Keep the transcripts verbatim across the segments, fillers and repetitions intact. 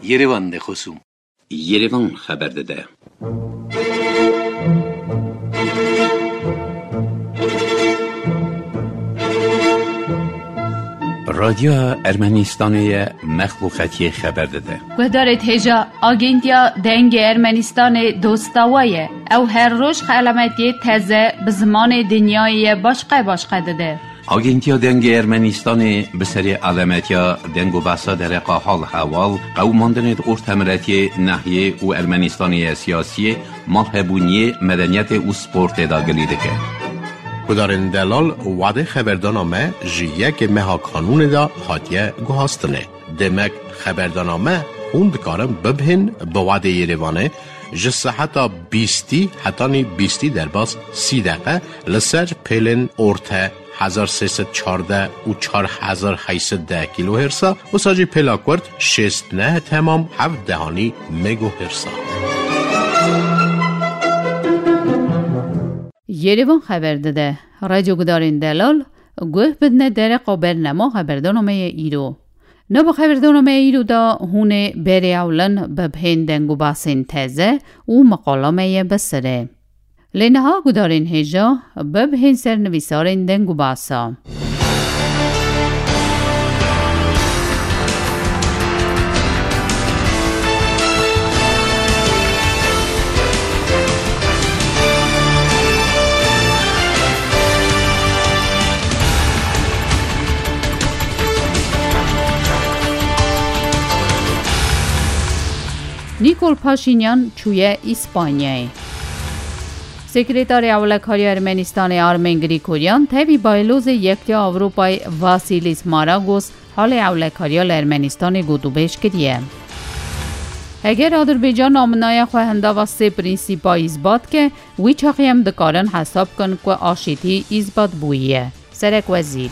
Yerevan de xosûm. Yerevan xeber dide. Radyoya Ermenistanê ye, mexluqetiyê xeber dide. Guhdarê hêja, Agentiya Dengê Ermenistanê dosta we ye. Ew her roj xelametiyê teze bi zimanê dinyayê ye başqe başqe dide. Agentiya Dengê Ermenistanê bi serê alemetiya deng û behsa dereqa hal hewal, qewimandinê di ortemiretiyê, nehiyê û Ermenistanê ye siyasiyê, malhebûniyê, medeniyetê û sportê de gilî dike. Gudarên delal, wadê xeberdana me ji yekê meha kanûnê de hatiye guhastinê. Demek xeberdana me hûn dikarin bibihên bi wadê Yerevanê ji seheta bîstî hetanî bîstî derbas sî deqe li ser pêlên orte hezar sê sed çardeh û çar hezar heyt sed deh kîlohêrsa, wisa jî pêla kurt şêst neh temam heft dehanî megohêrsa. Yerevan xeber dide. Radyo gudarên delal, guh bidine dereqa bernama xeberdana me ye îro. Nava xeberdana me îro de hûn ê berê ewlin bibihên deng û basên teze û meqala me ye bi sirê. Lê niha gudarên hêja bibihên ser nivîsarên deng û basa. Nîkol Paşînyan çûye Îspanyayê. Sekreterê Ewlekariya Ermenistanê Armen Grîkoryan tevî baylozê Yektiya Ewropayê Vasilis Maragos halê ewlekariya li Ermenistanê gotûbêj kiriye. Heger Adirbaycan naminaya xwe hindava sê prînsîpa îsbat ke, wî çaxî em dikarin hesab bikin ku aşîtî îsbat bûyiye. Serek Wezîr.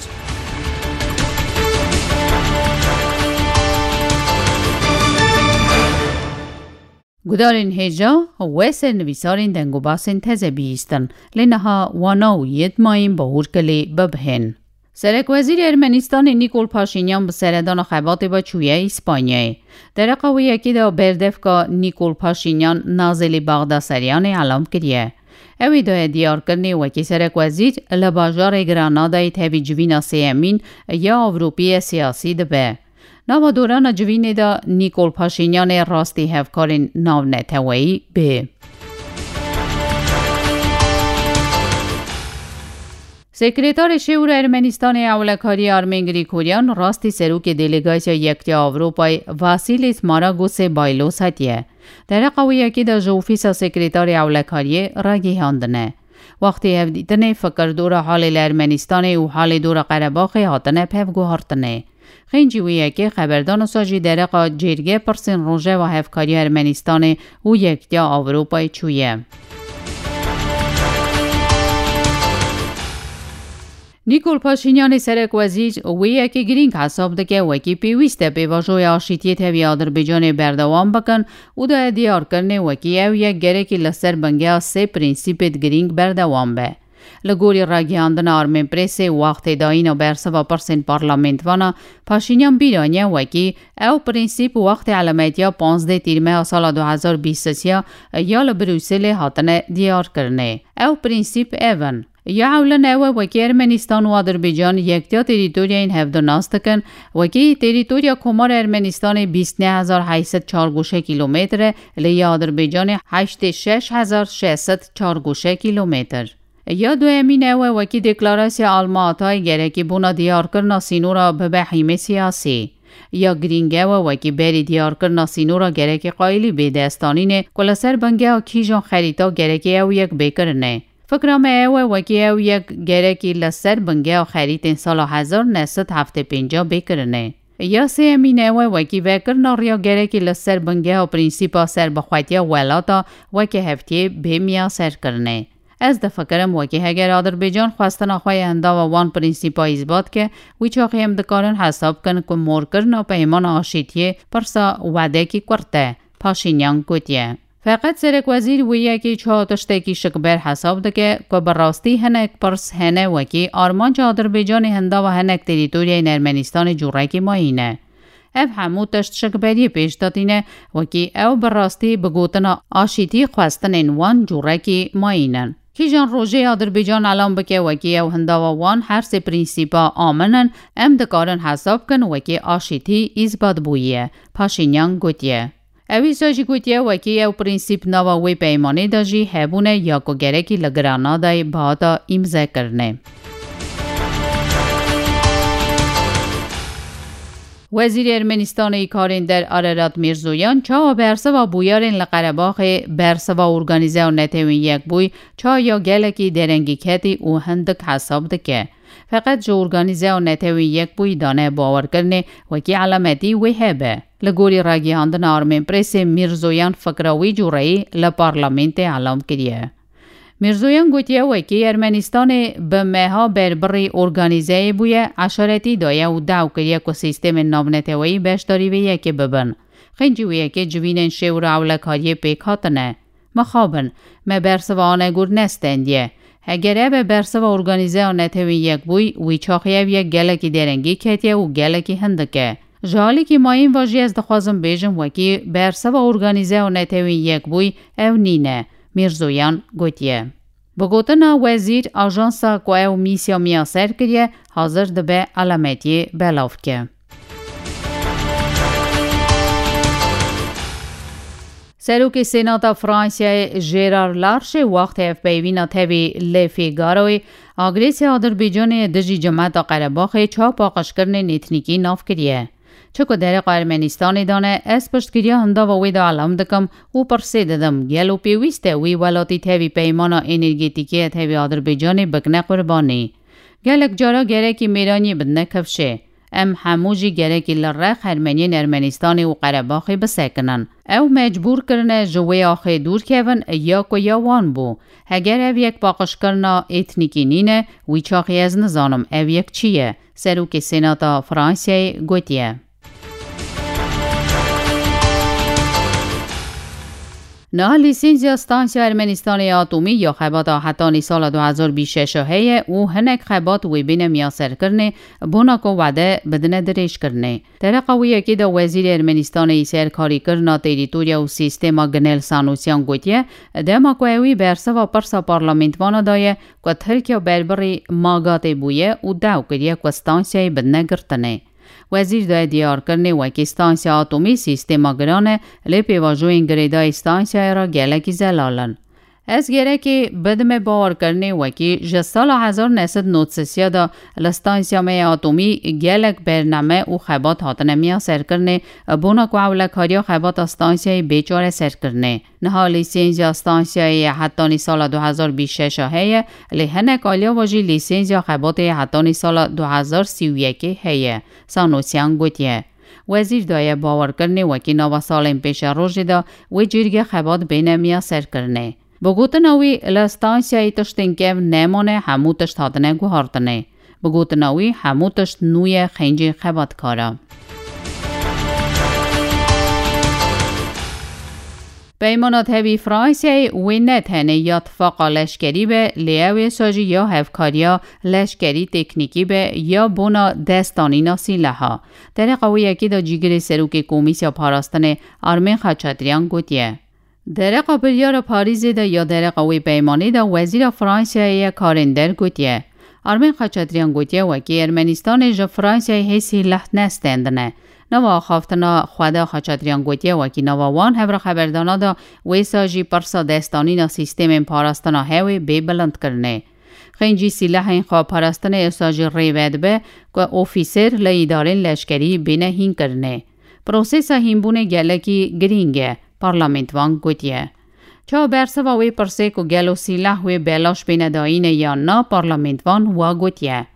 Gudarên hêja we sernivîsarên deng û basên teze bihîstin, lê niha wana û yê di mayên bahûr kilê bibihên. Serek Wezîrê Ermenistanê Nîkol Paşînyan bi seredana xebatê ve çûye Îspanyayê. Dereqa wê yekê de berdevka Nîkol Paşînyan Nazilî Baxdaseryanê elam kiriye. Ew ê daye diyarkirinê wekî serekwezîr li bajarê Granadayê tevî civîna sêyemîn ya Ewropî ye siyasî dibe. Nava dorana civînê de Nîkol Paşînyanê rastî hevkarên navneteweyî bê. Sekretarê Şêwra Ermenistanê Ewlekariyê Armen Grîkoryan rastî serokê delegasya Yektiya Ewropayê Vasilis Maragosê Baylos hetiye. Dereqa wê yekê de ji ofîsa sekretarê ewlekariyê ragihandine. Wextê hevdîtinê fikir dora halê li Ermenistanê û halê dora Qerebaxê hatine pevguhartinê. Xêncî wê yekê xeberdana sa jî dereqa cêrge pirsên Rojeva Hevkariya Ermenistanê û Yektiya Ewropayê çûye. Nîkol Paşînyanê serekwezîr wê yekê girîng hesab dike, wekî pêwîst e pêvajoya aşîtiyê tevî Adirbaycanê berdewam bikin û daye diyarkirinê wekî ew yek gerekî li ser bingeha sê prînsîpêd girîng berdewam be. Li gorî ragihandina Armenpressê, wextê dayîna bersiva pirsên parlamentvana, Paşînyan bîr aniye wekî ew prînsîp wextê elemetiya panzdeh tîrmeha sala du hezar bîst ya li Brukselê hatine diyarkirinê. Ew prînsîp ev in. Ya ewlin ew e, wekî Ermenistan û Adirbaycan yektiya terîtoryayên hevdu nas dikin, wekî terîtorya Komara Ermenistanê bîst neh hezar heyt sed çargoşe kîlometre, lê ya Adirbaycanê heştê şeş hezar şeş sed çargoşe kîlometre. Ya duyemîn ew e, wekî deklarasya Alma Atayê gerekî bona diyarkirina sînora bibe hîmê siyasî. Ya girîng ew e, wekî berî diyarkirina sînora gerekî qayîlî bê destanînê ku li ser bingeha kîjan xerîta gerekî ew yek bê kirinê. Fikra me ew e, wekî ew yek gerekî li ser bingeha xerîtên sala hezar neh sed heftê pênc bê kirinê. Ya sêyemîn ew e, wekî vekirina riya gerekî li ser bingeha prînsîpa serbixwetiya welata weke hevdiyê bê miyaserkirinê. Ez difikirim, wekî heger Adirbaycan xwestina xwe ya hindava wan prînsîpa îsbat ke, wî çaxî em dikarin hesab bikin ku morkirina peymana aşîtiyê pirsa wedekî kurt e, Paşînyan gotiye. Feqet serekwezîr wê yekê çawa tiştekî şikber hesab dike ku bi rastî hinek pirs hene, wekî armanca Adirbaycanê hindava hinek terîtoryayên Ermenistanê cûrekî mayî ne. Ev hemû tişt şikberiyê pêş de tîne, wekî ew bi rastî bi gotina aşîtî xwestinên wan cûrekî mayîn in. Kîjan rojê Adirbaycan elan bike, wekî ew hindava wan her sê prînsîpa amin in, em dikarin hesab bikin wekî aşîtî îsbat bûye, Paşînyan gotiye. Ew îsa jî gotiye, wekî ew prînsîp nava wê peymanê de jî hebûne ya ku gerekî li Granadayê bihata îmze kirine. Wezîrê Ermenistanê yê karên der Arerat Mîrzoyan çawa bersiva bûyerên li Qerebaxê bersiva organîze û netewên yekbûyî çawa ya gelekî derengî ketî û hindik hesab dike. Feqet ji organîze û netewên yekbûyî dane bawerkirinê wekî elemetî wê hebe. Li gorî ragihandina Armên Presê Mîrzoyan fikra wî cûreyî li parlamentê elam kiriye. Mîrzoyan gotiye, wekî Ermenistanê bi meha berbirî organîzeyê bûye, eşaretî daye û daw kiriye ku sîstemên navneteweyî beşdarî vê yekê bibin. Xêncî wê yekê civînên şêwr û ewlekariyê pêk hatine. Mixabin, me bersiva Anegor nestendiye. Heger ev e bersiva organîze ya netewên yekbûyî, wî çaxî ev yek gelekî derengî ketiye û gelekî hindik e. Ji alîkî mayîn ve jî ez dixwazim bêjim, wekî bersiva organîze ya netewên yekbûyî ew nîne, Mîrzoyan gotiye. Bi gotina wezîr, ajansa ku ew mîsya miyaser kiriye, hazir dibe elemetiyê belavke. Serokê Senata Fransayê Gerard Larche wextê hevpeyvîna tevî Le Figaroyê agresiya Adirbaycanê dijî cemeta Qerebaxê çawa paqijkirinên etnîkî nav kiriye. Çi ku dereqa Ermenistanê dane, ez piştgiriya hindava wê de elam dikim û pirsê didim, gelo pêwîst e wî welatî tevî peymana energetîkê ya tevî Adirbaycanê bikine qurbanî? Gelek cara gerekî mêraniyê bidine kifşê. Em hemû jî gerekî li rex Ermeniyên Ermenistanê û Qerebaxê bisekinin. Ew mecbûr kirine ji wê axê dûr kevin ya ku ya wan bû. Heger ev yek paqijkirina etnîkî nîne, wî çaxî ez nizanim ev yek çi ye, Serokê Senata Fransayê gotiye. Niha lîsensiya stansiya Ermenistanê ya atomî ya xebata hetanî sala du hezar bîst şeş heye û hinek xebat wê bêne miyaserkirinê, bona ku wede bidine dirêjkirinê. Dereqa wê yekê de Wezîrê Ermenistanê yî ser karîkirina terîtorya û sîstema Ginel Sanûsyan gotiye, dema ku ewî bersiva pirsa parlamentvana daye ku Tirkiya berbirî magatê bûye û daw kiriye ku stansiyayê bidine girtinê. Wezîr daye diyarkirinê wekî stansiya atomî sîstema giran e, lê pêvajoyên girêdayî stansiyayê re gelekî zelal in. Ez gerekê bidime bawerkirinê wekî ji sala hezar neh sed nod sisiya de li stansiya me ya atomî gelek bername û xebat hatine miyaserkirinê, bona ku ewlekariya xebata stansiyayê bê çareserkirinê. Niha lîsensiya stansiyayê ya hetanî sala du hezar bîst şeş heye, lê hinek aliya ve jî lîsensiya xebatê ya hetanî sala du hezar sî û yekê heye, Sanûsyan gotiye. Wezîr daye bawerkirinê wekî nava salên pêşerojê de wê cîrgê xebat bêne miyaserkirinê. Bi gotina wî, li stansiyayê tiştên kev nemane, hemû tişt hatine guhartinê. Bi gotina wî, hemû tişt nû ye, xêncî xebatkar e. Peymana tevî Fransayê wê ne tenê ya tifaqa leşkerî be, lê ew êsa jî ya hevkariya leşkerî teknîkî be ya bona destanîna sîleha. Dereqa wê yekê de cîgirê serokê Komîsya Parastinê Armên Xaçatryan gotiye. Dereqa biryara Parîzê de ya dereqa wê peymanê de Wezîra Fransayê ye karên der gotiye. Armên Xaçatryan gotiye, wekî Ermenistanê ji Fransayê hê sîleh nestendine. Nava axaftina xwe de Xaçatryan gotiye, wekî nava wan hevra xeberdana de wêsa jî pirsa destanîna sîstemên parastina hewê bê bilindkirinê. Xêncî sîlehên xweparastinê êsa jî rê vedibe ku ofîser li îdarên leşkerî bêne hînkirinê. Prosesa hînbûnê gelekî girîng e, parlamentvan gotiye. Çawa bersiva wê pirsê ku gelo sîleh wê belaş bêne dayîne yan na, parlamentvan wa gotiye.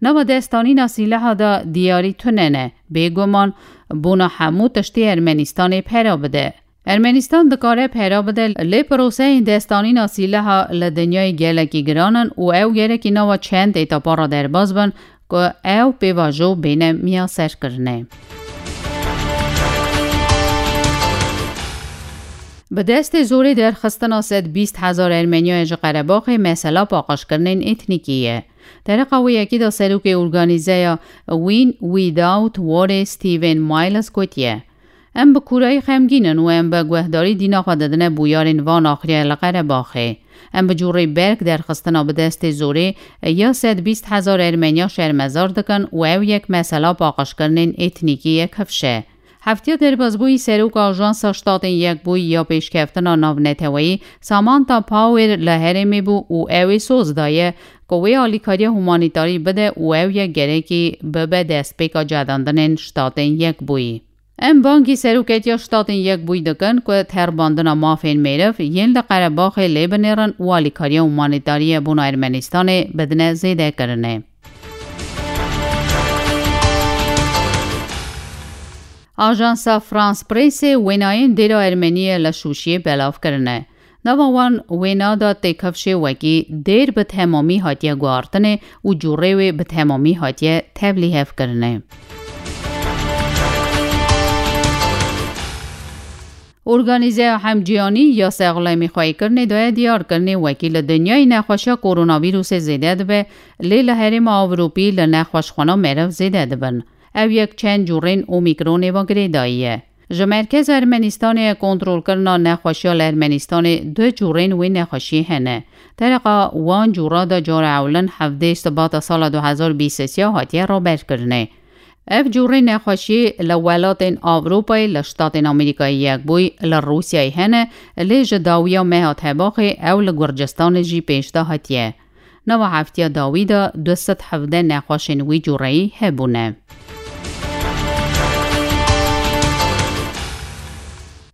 Nava destanîna sîleha de diyarî tune ne, bêguman bona hemû tiştê Ermenistanê pera bide. Ermenistan dikare pera bide, lê proseyên destanîna sîleha li dinyayê gelekî giran in û ew gerekî nava çend etapa re derbas bin ku ew pêvajo bêne miyaserkirinê. Bi destê zorê derxistina sed bîst hezar Ermeniyayê ji Qerebaxê mesela paqijkirinên etnîkî ye. Tereqa wê yekî de serokê organîzeya Win Without Warê Stephen Miles gotiye, Em bi kûrayî xemgîn in û em bi guhdarî dîna xwe didine bûyarên van axiriyê li Qerebaxê. Em bi cûrê berk derxistina bi destê zorê ya sed bîst hezar Ermeniya şermezar dikin û ew yek mesela paqijkirinên etnîkî ye kifş e. Heftiya derbasbûyî seroka Ajansa Ştatên Yekbûyî ya Pêşkeftina Navneteweyî Samantha Power li herêmê bû û ew ê soz daye ku wê alîkariya humanîtarî bide û ew yek gerekî bibe destpêka cedandinên Ştatên Yekbûyî. Em bangî Seroketiya Ştatên Yekbûyî dikin ku terbandina mafên mêriv yên li Qerebaxê lê binêrin û alîkariya humanîtarî yê bona Ermenistanê bidine zêdekirinê. Ajansa France Pressê wênayên dêra Ermeniyê li Şûşiyê belav kirine. Nava wan wêna de têkifşê wekî dêr bi temamî hatiye guhartinê û cûrê wê bi temamî hatiye tevlîhevkirinê. Organîzeya Hemcîhanî ya Sexlemîxweyîkirinê daye diyarkirinê wekî li dinyayê nexweşiya koronavîrusê zêde dibe, lê li herêma Ewropî li nexweşxwana meriv zêde dibin. Ew yek çend cûrên Omîkronê ve girêdayî ye. Ji merkeza Ermenistanê kontrolkirina nexweşiya li Ermenistanê du cûrên wê nexweşiyê hene. Tereqa wan cûra de cara ewlin hevdeh Sibata sala du hezar bîst û sê hatiye raberkirinê. Ev cûrê nexweşiyê li welatên Ewropayê, li Ştatên Amerîkayê Yekbûyî, li Rûsyayê hene, lê ji dawiya meha Tebaxê ew li Gurcistanê jî pêşde hatiye. Nava heftiya dawî de du sed hevdeh nexweşên wî cûreyî hebûne.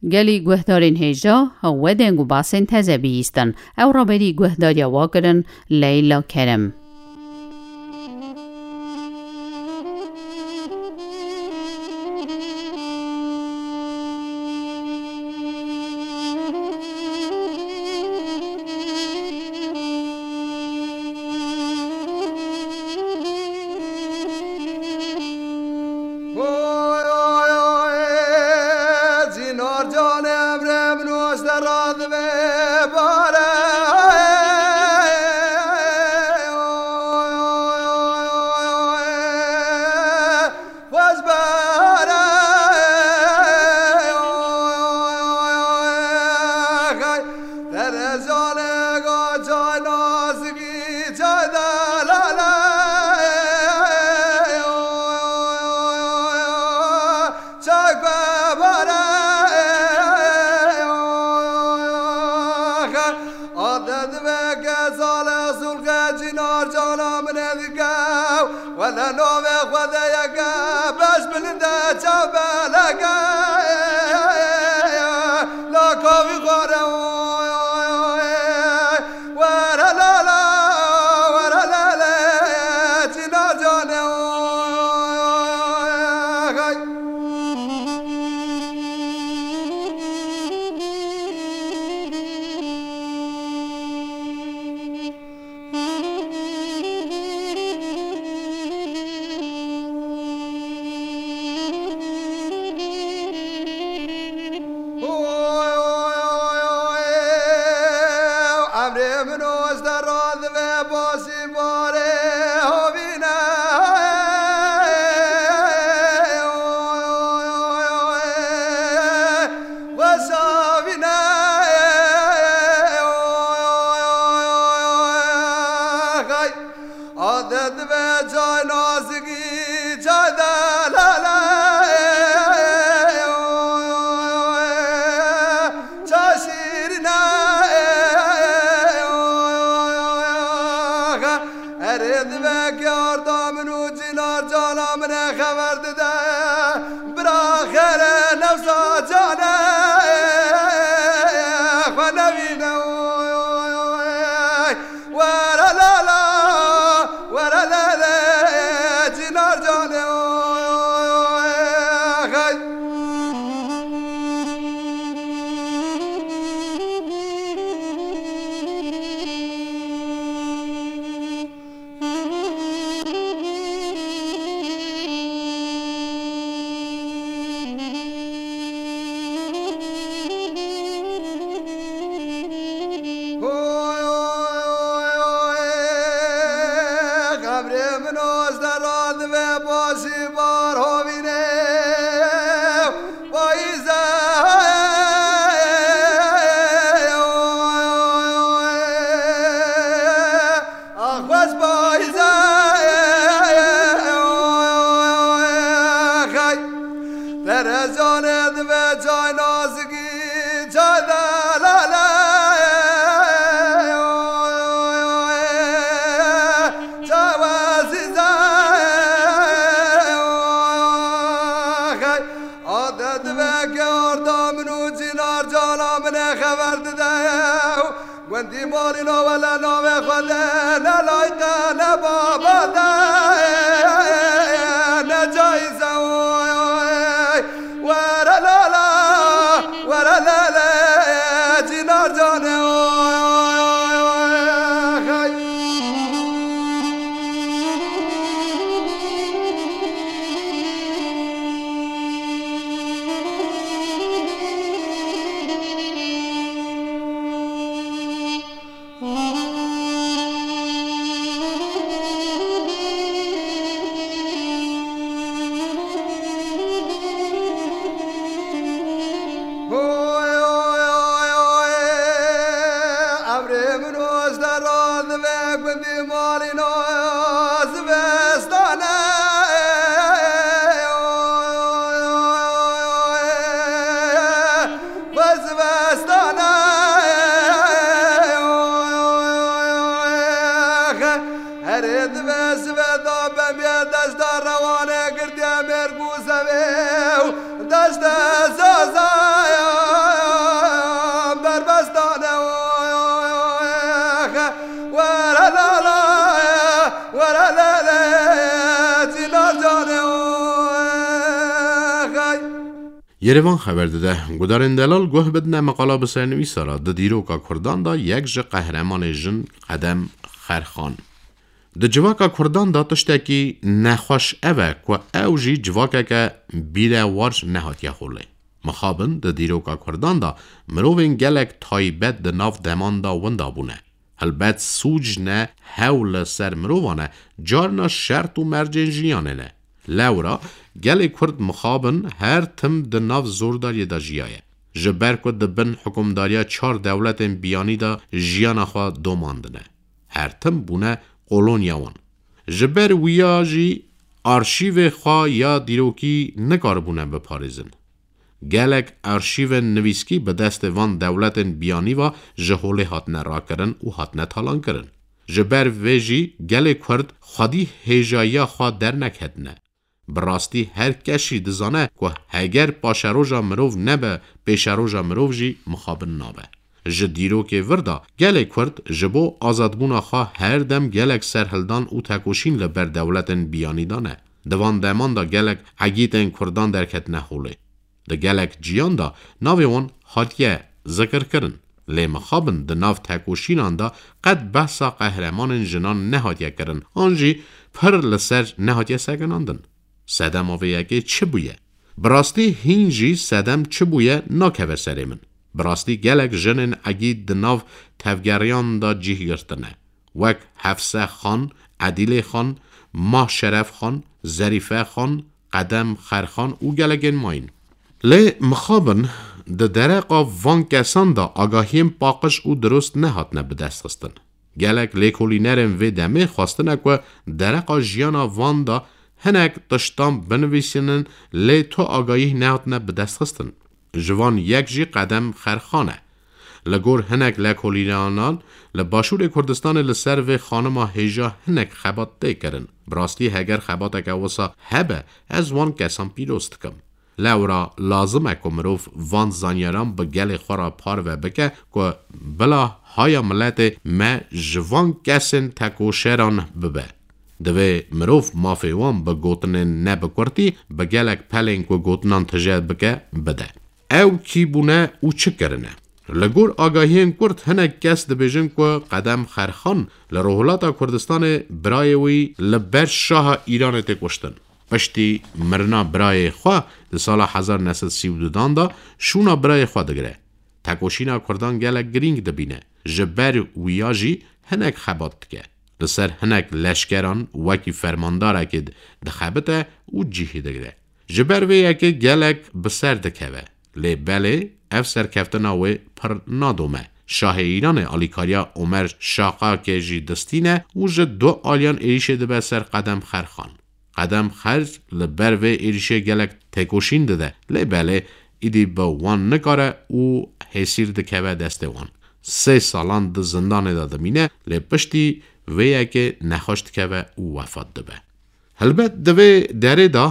Gelî guhdarên hêja, we deng û basên teze bihîstin. Ew raberî guhdariya wa kirin, Leyla Kerem. Oy, oy, oy, Cînar can, emrê min û ji te re dibe bare. Oy, oy, oy, oy, oy, oy. Xweş be re, oy, oy, oy, oy, xey. Terezalek a çay nazikî, çay delale, oy, oy, oy, oy, oy, çay be bare, oy, oy, oy, oy, xey. Adet ve gezale zulke Cînar cana min dike. Wele navê Xwedê yeke beş bilind e çav beleke. La kavî xware oy, oy, oy. Were la la, were la la, Cînar canê oy, oy, oy, oy. Oy, oy, oy, oy. Emrê min û ji te re dibe basî barê havîne. Oy, oy, oy, oy. Xweşa vîne. Oy, oy, oy, oy, oy. Xey. Adet ve cay nazikî, cay delale, çay şîrîne, erê dive ke arda min û Cînar cana min e xeber dide, bira xêre nefsa canê, xwe nevîne. Were la la, were le le, Cînar canê, oy, hey. Recanê dibe çay nazikî, çay delale, çay wezîze. Hey, ade dibe ke arda min û cînar cana min e xeber dide. Gundî malî nave le navê xwe de, ne layqe, ne baba de, ne cayîze, oy. Were lala, were lele, cînar canê, oy. Oy, oy, oy, oy. Emrê min û ez de razdibe gundî malî nazibestane. Oy, oy, oy, oy. Vez vestane. Herê dibe zive da bembiye desta rewane girdiye mêrg û zevê û deste zazaya berbestane. Were lala, were lele, cînar canê. Yerevan xeber dide, gudarên delal guh bidine meqala bi sernivîsa re, di dîroka Kurdan de yek ji qehremanê jin Qedem Xerxan. Di civaka Kurdan de tiştekî nexweş ev e ku ew jî civakeke bîrewar nehatiye holê. Mixabin di dîroka Kurdan de mirovên gelek taybet di nav deman de winda bûne. Helbet sûc ne hewl li ser mirovan e, carna şert û mercên jiyanê ne. Lewra gelê Kurd mixabin her tim di nav zordariyê de jiyaye. Ji ber ku di bin hikûmdariya çar dewletên biyanî de jiyana xwe domandine. Her tim bûne koloniya wan. Ji ber wiya jî arşîvê xwe ya dîrokî nikaribûne biparêzin. Gelek arşîvên nivîskî bi destê van dewletên biyanî ve ji holê hatine rakirin û hatine talankirin. Ji ber vê jî gelê Kurd xwedî hêjayiya xwe derneketine. Bi rastî her kes jî dizane ku heger paşeroja mirov nebe, pêşeroja mirov jî mixabin nabe. Ji dîrokê vir de gelê Kurd ji bo azadbûna xwe her dem gelek serhildan û tekoşîn li ber dewletên biyanî dane. Di van deman de gelek egîtên Kurdan derketine holê. Di gelek ciyan de navê wan hatiye zikirkirin. Lê mixabin di nav tekoşînan de qet behsa qehremanên jinan nehatiye kirin, an jî pir li ser nehatiye sekinandin. Sedema vê yekê çi bûye? Bi rastî hîn jî sedem çi bûye nakeve serê min. Bi rastî gelek jinên egît di nav tevgeriyan de cih girtine. Wek Hefse Xan, Edîlê Xan, Mah Şeref Xan, Zerîfe Xan, Qedem Xerxan û gelekên mayîn. Lê mixabin di dereqa van kesan de agahiyên paqij û dirust nehatine bidestxistin. Gelek lêkolînerên vê demê xwestine ku dereqa jiyana van de hinek tiştan binivîsînin, lê tu agahî nehatine bidestxistin. Ji van yek jî Qedem Xerxan e. Li gor hinek lêkolînanan, li Başûrê Kurdistanê li ser vê xanima hêja hinek xebat tê kirin. Bi rastî heger xebateke wisa hebe, ez wan kesan pîroz dikim. Lewra lazim e ku mirov van zanyaran bi gelê xwe re parve bike ku bila haya miletê me ji van kesên tekoşeran bibe. Divê mirov mafê wan bi gotinên ne bi kurtî, bi gelek pelên ku gotinan tije bike, bide. Ew kî bûne û çi kirine? Li gor agahiyên kurt hinek kes dibêjin ku Qedem Xerxan li Rojhilata Kurdistanê birayê wî li ber şaha Îranê tê kuştin. Piştî mirina birayê xwe di sala hezar neh sed sî û dudan de şûna birayê xwe digire. Tekoşîna Kurdan gelek girîng dibîne. Ji ber wiya jî hinek xebat dike. Li ser hinek leşkeran wekî fermandarekê dixebite û cihê digire. Ji ber vê yekê gelek bi ser dikeve. Lê belê ev serkeftina wê pir nadome. Şahê Îranê alîkariya Omer Şaqakê jî distîne û ji du aliyan êrîşê dibe ser Qedem Xerxan. Qedem Xer li ber vê êrîşê gelek têkoşîn dide, lê belê îdî bi wan nikare û hêsîr dikeve destê wan. Sê salan di zindanê de dimîne, lê piştî vê yekê nexweş dikeve û wefat dibe. Helbet di vê derê de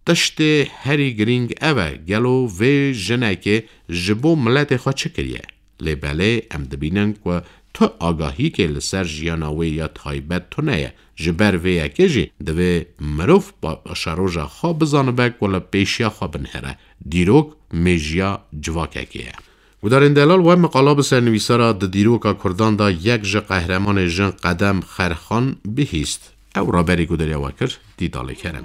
tiştê herî girîng ev e, gelo vê jinekê ji bo miletê xwe çi kiriye? Lê belê em dibînin ku tu agahiyekê li ser jiyana wê ya taybet tune ye. Ji ber vê yekê jî divê mirov pa-, paşeroja xwe bizanibe ku li pêşiya xwe binihêre. Dîrok mêjiya civakekê ye. Gudarên delal, we meqala bi sernivîsara di dîroka Kurdan de yek ji qehremanê jin Qedem Xerxan bihîst. Ew raberî gudariya we kir, Dîdalê Kerem.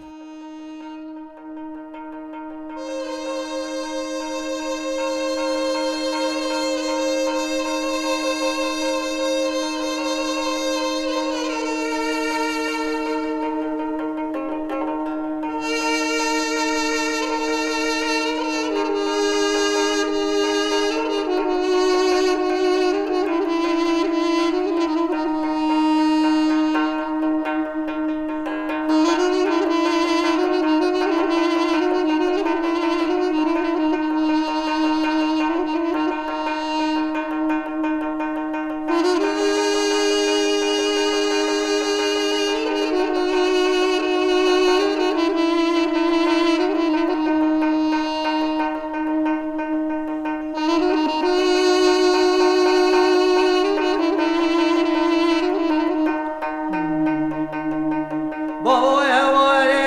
Bavo heware,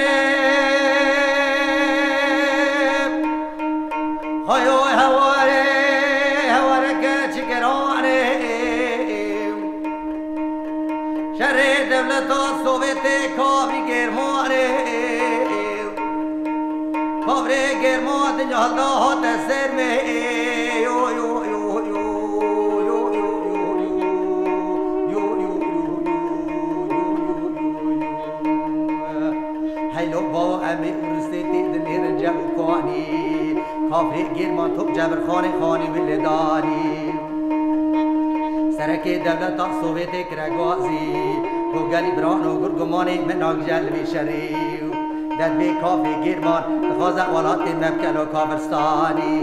xayo heware, heware ke çikerane. Şerê dewleta Sovyetê kavî Germanê. Kavrê German dinya da hate ser me. Yo, yo, yo, yo. Heylo bavo em ê Urusê tê dinêrin cem û kanî. Kavrê German top Cebirxanê xanî wî lê danî. Serekê dewleta Sovyetê kire gazî, ku gelî birano gur gumanê min nagije li vê şerê. Dest vê kafê Gêrman dixwaze welatê me bike lo kafirstanî.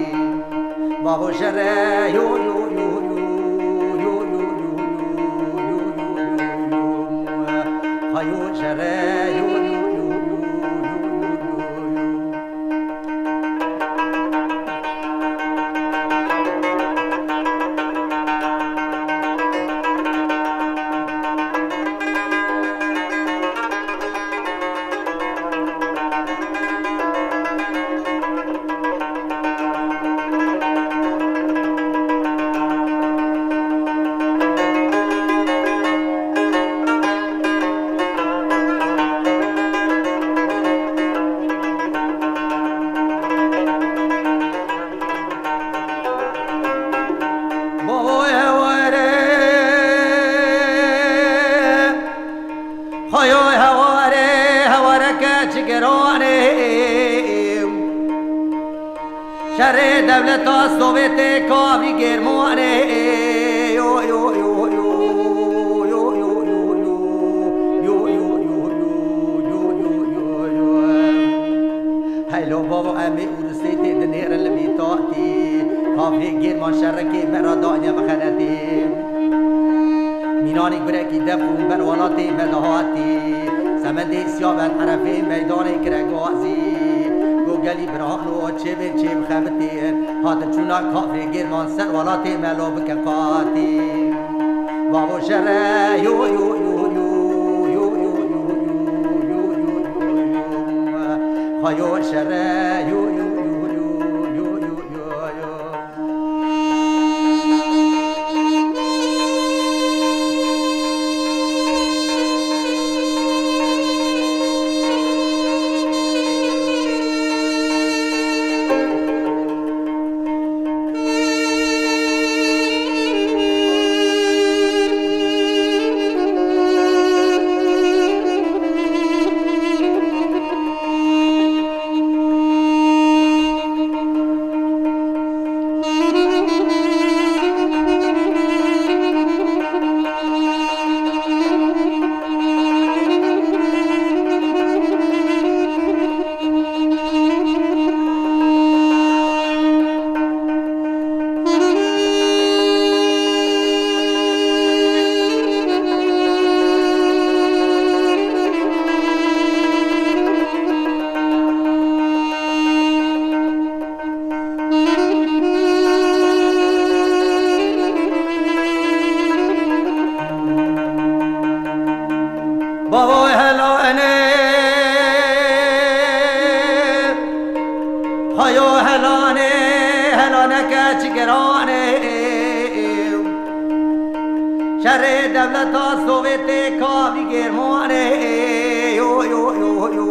Bavo şere, yo, yo, yo. Xayo şere, yo, yo, yo. Bavoy heware, xayoy heware, heware ke çigerane. Şerê dewleta Sovyetê kavrî Germanê. Yo, yo, yo, yo. Heylo bavo, em ê Urusê tê dinêrin li vî tatî. Kafê Gêrman şerekê me re daye mixenetî. Mînanî gurekî def û ber welatê me dihatî. Semendê siya ber erefê meydanê kire gazî. Go gelî birano çêbên çêbixebitîn. Hatin çûna kafê Gêrman ser welatê me lo bike qatî. Bavo şere, yo, yo, yo. Xayo şere, yo, yo, yo. Xweyo helane, helane keçik giranê. Şerê dewleta Sovyetê kavî Germanê. Yo, yo, yo, yo.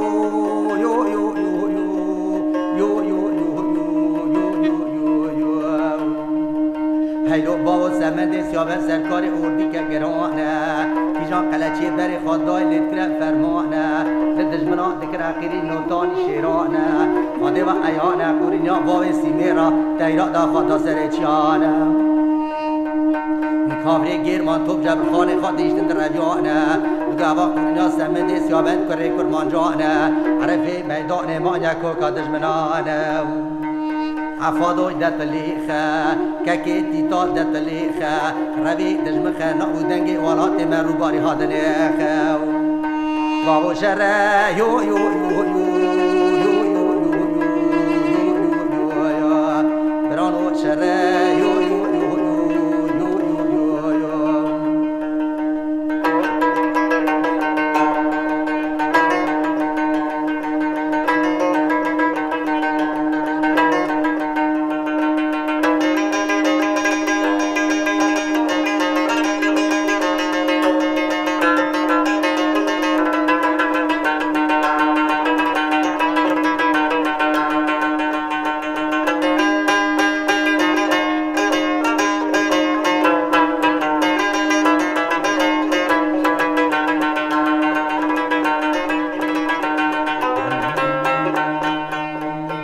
Heylo bavo semendê siyaven serkarê ordîke giran e. Kîjan qeleçiyê berê xwe dayê lê dikire ferman e. Li dijminan dikire qîrî notanî şêran e. Xwedê ve eyan e, qûrîniya bavê sîmêra teyra da xwe da serê çiyan e. Kavrê German top cebrxanê xwe dîştin di reviyan e. Gava qûrîniya semendê siyaven kurê kurmancan e. Erefê meydanê manya koka dijminan e. Efado detilîxe, kekê tîta detilîxe, revî dijmixe, na û dengê welatê me rûbarî hadinêxe. Bavo şere, yo, yo, yo, yo, yo, yo, yo, yo, yo, yo, yo, yo, yo, yo. Birano şere, yo, yo, yo, yo, yo, yo, yo, yo, yo.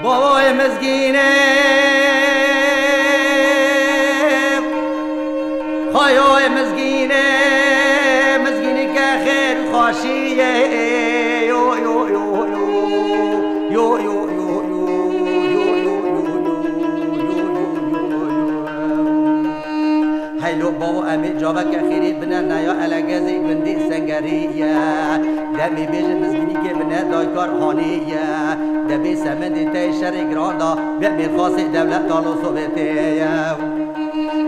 Bavayê mizgînê, xweyayê mizgînê, mizgînî ke xêr û xweşî ye. Yo, yo, yo, yo. Yo, yo, yo, yo, yo, yo, yo, yo. Heylo bavo, em ê caveke xêrê bine neya elegezê gundê Sengerî ye. Demê bêje mizgînîkê bine daykar hanê ye. Debê semendê te şerê giran da, be mêrxasê dewleta lo Sovyetê ye.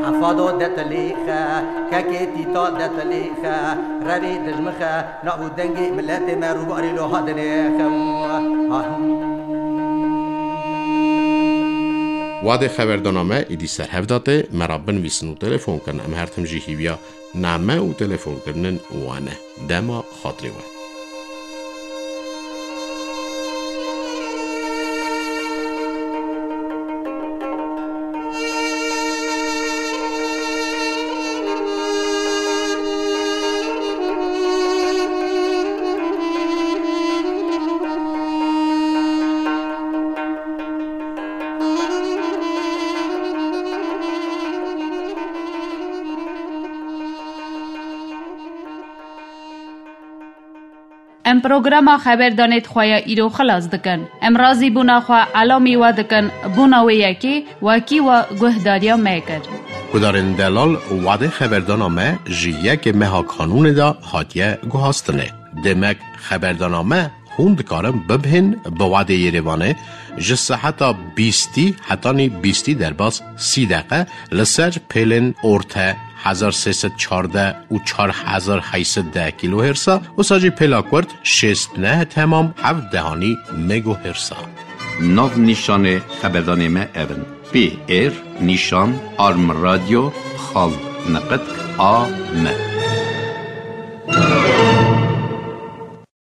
Efado detilîxe, kekê tîta detilîxe, revê dijmixe, na û dengê miletê me rûbarî lo hadinê xem. Wadê xeberdana me êdî ser hev da tê, me ra binivîsin û telefon kin. Em her tim jî hîviya name û telefonkirinin we ne. Dema xatirê we. Em programa xeberdanê di xwe ya îro xilas dikin. Em razîbûna xwe elamî we dikin, bûna wê yekê wekî we guhdariya me kir. Guhdarên delal, wadê xeberdana me ji yekê meha Kanûnê de hatiye guhastinê. Demek xeberdana me hûn dikarin bibihên bi wadê Yerêvanê ji seheta bîstî hetanî bîstî derbas sî deqe li ser pêlên orte hezar sê sed çardeh û çar hezar heyt sed deh kîlohêrsa, wisa jî pêla kurt şêst neh temam heft dehanî megohêrsa. Nav nîşanê xeberdanê me ev in: P R nîşan arm radio xal neqet a m.